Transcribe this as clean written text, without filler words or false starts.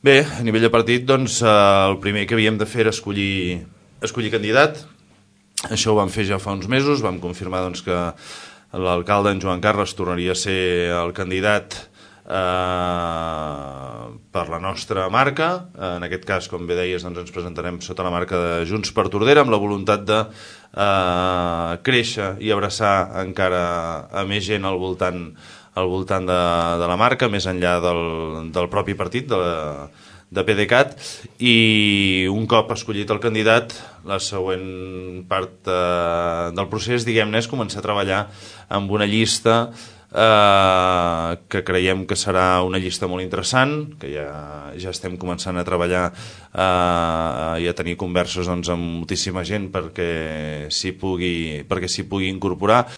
Bé, a nivell de partit, doncs, el primer que havíem de fer era escollir candidat. Això ho vam fer ja fa uns mesos, vam confirmar doncs, que l'alcalde, en Joan Carles, tornaria a ser el candidat per la nostra marca. En aquest cas, com bé deies, doncs, ens presentarem sota la marca de Junts per Tordera, amb la voluntat de créixer i abraçar encara a més gent al voltant de la marca, més enllà del propi partit, de PDeCAT. I un cop escollit el candidat, la següent part del procés, diguem-ne, és començar a treballar amb una llista que creiem que serà una llista molt interessant, que ja estem començant a treballar i a tenir converses, doncs, amb moltíssima gent perquè s'hi pugui incorporar.